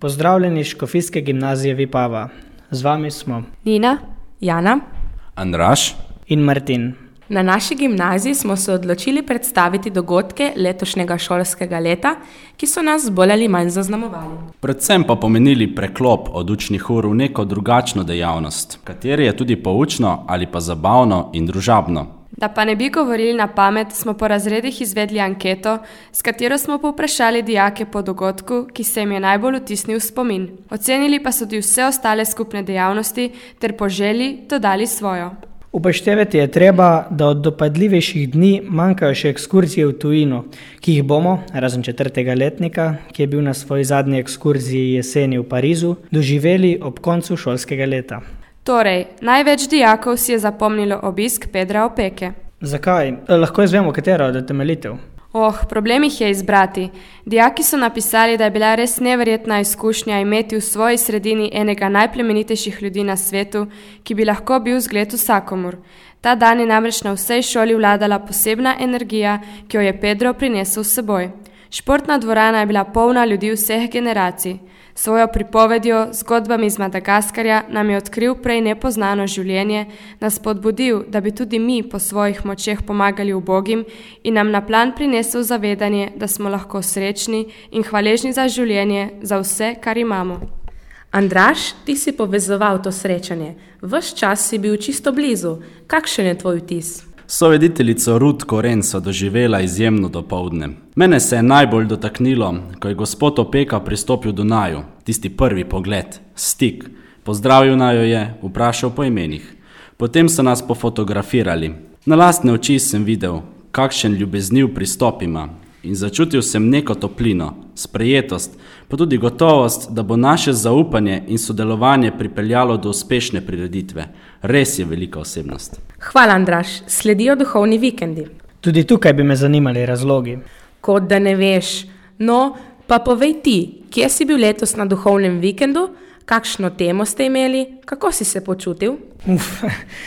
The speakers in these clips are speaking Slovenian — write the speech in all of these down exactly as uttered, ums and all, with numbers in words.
Pozdravljeni iz Škofijske gimnazije Vipava. Z vami smo Nina, Jana, Andraž in Martin. Na naši gimnaziji smo se odločili predstaviti dogodke letošnjega šolskega leta, ki so nas bolj ali manj zaznamovali. Predvsem pa pomenili preklop od učnih ur v neko drugačno dejavnost, kateri je tudi poučno ali pa zabavno in družabno. Da pa ne bi govorili na pamet, smo po razredih izvedli anketo, s katero smo povprašali dijake po dogodku, ki se jim je najbolj vtisnil v spomin. Ocenili pa so tudi vse ostale skupne dejavnosti ter po želji dodali svojo. Upoštevati je treba, da od dopadljivejših dni manjkajo še ekskurzije v tujino, ki jih bomo, razen četrtega letnika, ki je bil na svoji zadnji ekskurziji jeseni v Parizu, doživeli ob koncu šolskega leta. Torej, največ dijakov si je zapomnilo obisk Pedra Opeke. Zakaj? Lahko izvemo, katera od utemeljitev. Oh, problem jih je izbrati. Dijaki so napisali, da je bila res neverjetna izkušnja imeti v svoji sredini enega najplemenitejših ljudi na svetu, ki bi lahko bil zgled vsakomur. Ta dan je namreč na vsej šoli vladala posebna energija, ki jo je Pedro prinesel s seboj. Športna dvorana je bila polna ljudi vseh generacij. Svojo pripovedjo, zgodbami iz Madagaskarja nam je odkril prej nepoznano življenje, nas spodbudil, da bi tudi mi po svojih močeh pomagali ubogim in nam na plan prinesel zavedanje, da smo lahko srečni in hvaležni za življenje, za vse, kar imamo. Andraž, ti si povezoval to srečanje. Ves čas si bil čisto blizu. Kakšen je tvoj vtis? Sovediteljico Rut Koren so doživela izjemno dopoldne. Mene se je najbolj dotaknilo, ko je gospod Opeka pristopil do naju, tisti prvi pogled, stik. Pozdravil naju je, vprašal po imenih. Potem so nas pofotografirali. Na lastne oči sem videl, kakšen ljubezniv pristop ima in začutil sem neko toplino, sprejetost, pa tudi gotovost, da bo naše zaupanje in sodelovanje pripeljalo do uspešne prireditve. Res je velika osebnost. Hvala, Andraž. Sledijo duhovni vikendi. Tudi tukaj bi me zanimali razlogi. Kot da ne veš. No, pa povej ti, kje si bil letos na duhovnem vikendu, kakšno temo ste imeli, kako si se počutil? Uf,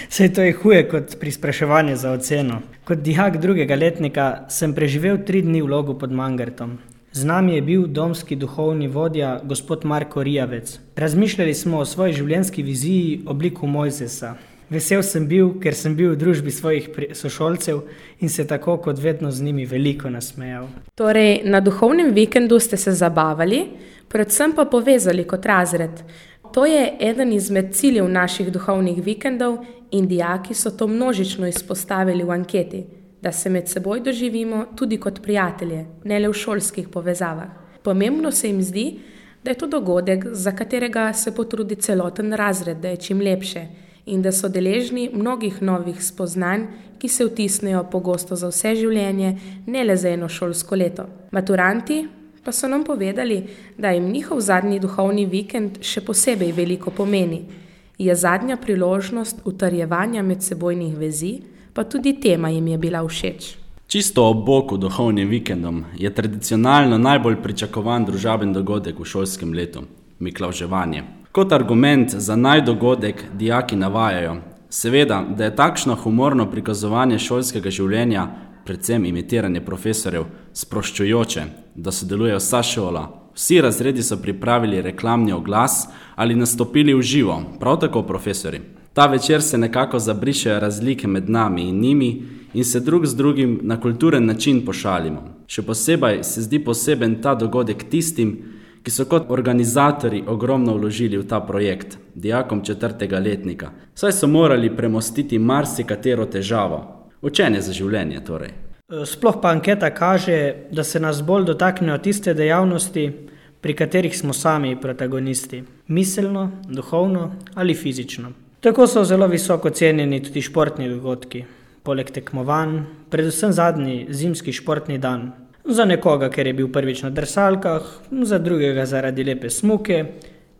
saj to je huje kot pri spraševanju za oceno. Kot dijak drugega letnika sem preživel tri dni v Logu pod Mangartom. Z nami je bil domski duhovni vodja, gospod Marko Rijavec. Razmišljali smo o svoji življenjski viziji obliku Mojzesa. Vesel sem bil, ker sem bil v družbi svojih sošolcev in se tako kot vedno z njimi veliko nasmejal. Torej, na duhovnem vikendu ste se zabavali, predvsem pa povezali kot razred. To je eden izmed ciljev naših duhovnih vikendov in dijaki so to množično izpostavili v anketi, da se med seboj doživimo tudi kot prijatelje, ne le v šolskih povezavah. Pomembno se jim zdi, da je to dogodek, za katerega se potrudi celoten razred, da je čim lepše in da so deležni mnogih novih spoznanj, ki se vtisnejo pogosto za vse življenje, ne le za eno šolsko leto. Maturanti pa so nam povedali, da jim njihov zadnji duhovni vikend še posebej veliko pomeni. Je zadnja priložnost utrjevanja medsebojnih vezi, pa tudi tema jim je bila všeč. Čisto ob boku duhovnim vikendom je tradicionalno najbolj pričakovan družaben dogodek v šolskem letu – miklavževanje. Kot argument za najdogodek dijaki navajajo, seveda, da je takšno humorno prikazovanje šolskega življenja, predvsem imitiranje profesorjev, sproščujoče, da sodeluje vsa šola. Vsi razredi so pripravili reklamni oglas ali nastopili v živo, prav tako profesori. Ta večer se nekako zabrišejo razlike med nami in njimi in se drug z drugim na kulturen način pošalimo. Še posebej se zdi poseben ta dogodek tistim, ki so kot organizatorji ogromno vložili v ta projekt, dijakom četrtega letnika. Saj so morali premostiti marsikatero težavo. Učenje za življenje torej. Sploh pa anketa kaže, da se nas bolj dotaknejo tiste dejavnosti, pri katerih smo sami protagonisti. Miselno, duhovno ali fizično. Tako so zelo visoko cenjeni tudi športni dogodki. Poleg tekmovanj, predvsem zadnji zimski športni dan. Za nekoga, ker je bil prvič na drsalkah, za drugega zaradi lepe smuke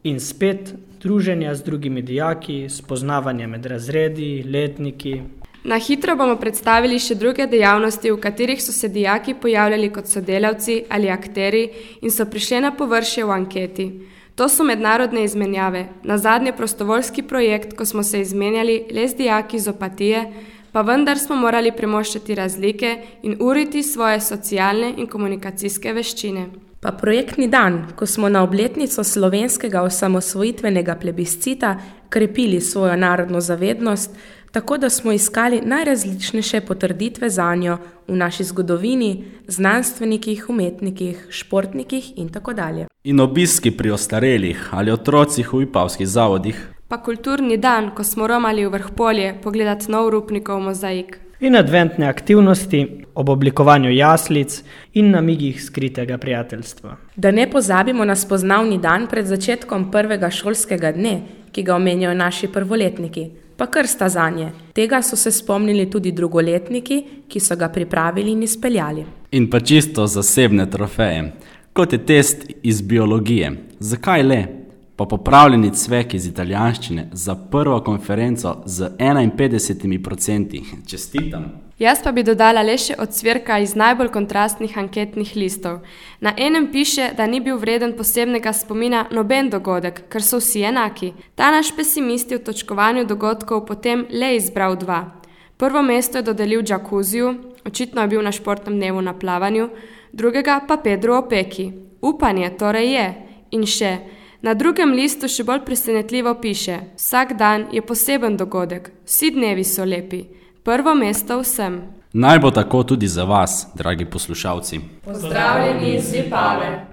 in spet druženja z drugimi dijaki, spoznavanje med razredi, letniki. Na hitro bomo predstavili še druge dejavnosti, v katerih so se dijaki pojavljali kot sodelavci ali akteri in so prišli na površje v anketi. To so mednarodne izmenjave, nazadnje prostovoljski projekt, ko smo se izmenjali le z dijaki iz Opatije, pa vendar smo morali premoščati razlike in uriti svoje socialne in komunikacijske veščine. Pa projektni dan, ko smo na obletnico slovenskega osamosvojitvenega plebiscita krepili svojo narodno zavednost, tako da smo iskali najrazličnejše potrditve zanjo v naši zgodovini, znanstvenikih, umetnikih, športnikih in tako dalje. In obiski pri ostarelih ali otrocih v vipavskih zavodih. Pa kulturni dan, ko smo romali v Vrhpolje pogledati nov Rupnikov mozaik. In adventne aktivnosti ob oblikovanju jaslic in namigih skritega prijateljstva. Da ne pozabimo na spoznavni dan pred začetkom prvega šolskega dne, ki ga omenjajo naši prvoletniki, pa krsta zanje. Tega so se spomnili tudi drugoletniki, ki so ga pripravili in izpeljali. In pa čisto zasebne trofeje, kot je test iz biologije. Zakaj le? Pa popravljeni cvek iz italijanščine za prvo konferenco z enainpetdesetimi procenti. Čestitam. Jaz pa bi dodala le še ocvirka iz najbolj kontrastnih anketnih listov. Na enem piše, da ni bil vreden posebnega spomina noben dogodek, ker so vsi enaki. Ta naš pesimist je v točkovanju dogodkov potem le izbral dva. Prvo mesto je dodelil džakuziju, očitno je bil na športnem dnevu na plavanju, drugega pa Pedro Opeki. Upanje torej je. In še, na drugem listu še bolj presenetljivo piše: vsak dan je poseben dogodek, vsi dnevi so lepi. Prvo mesto vsem. Naj bo tako tudi za vas, dragi poslušalci. Pozdravljeni iz Vipave.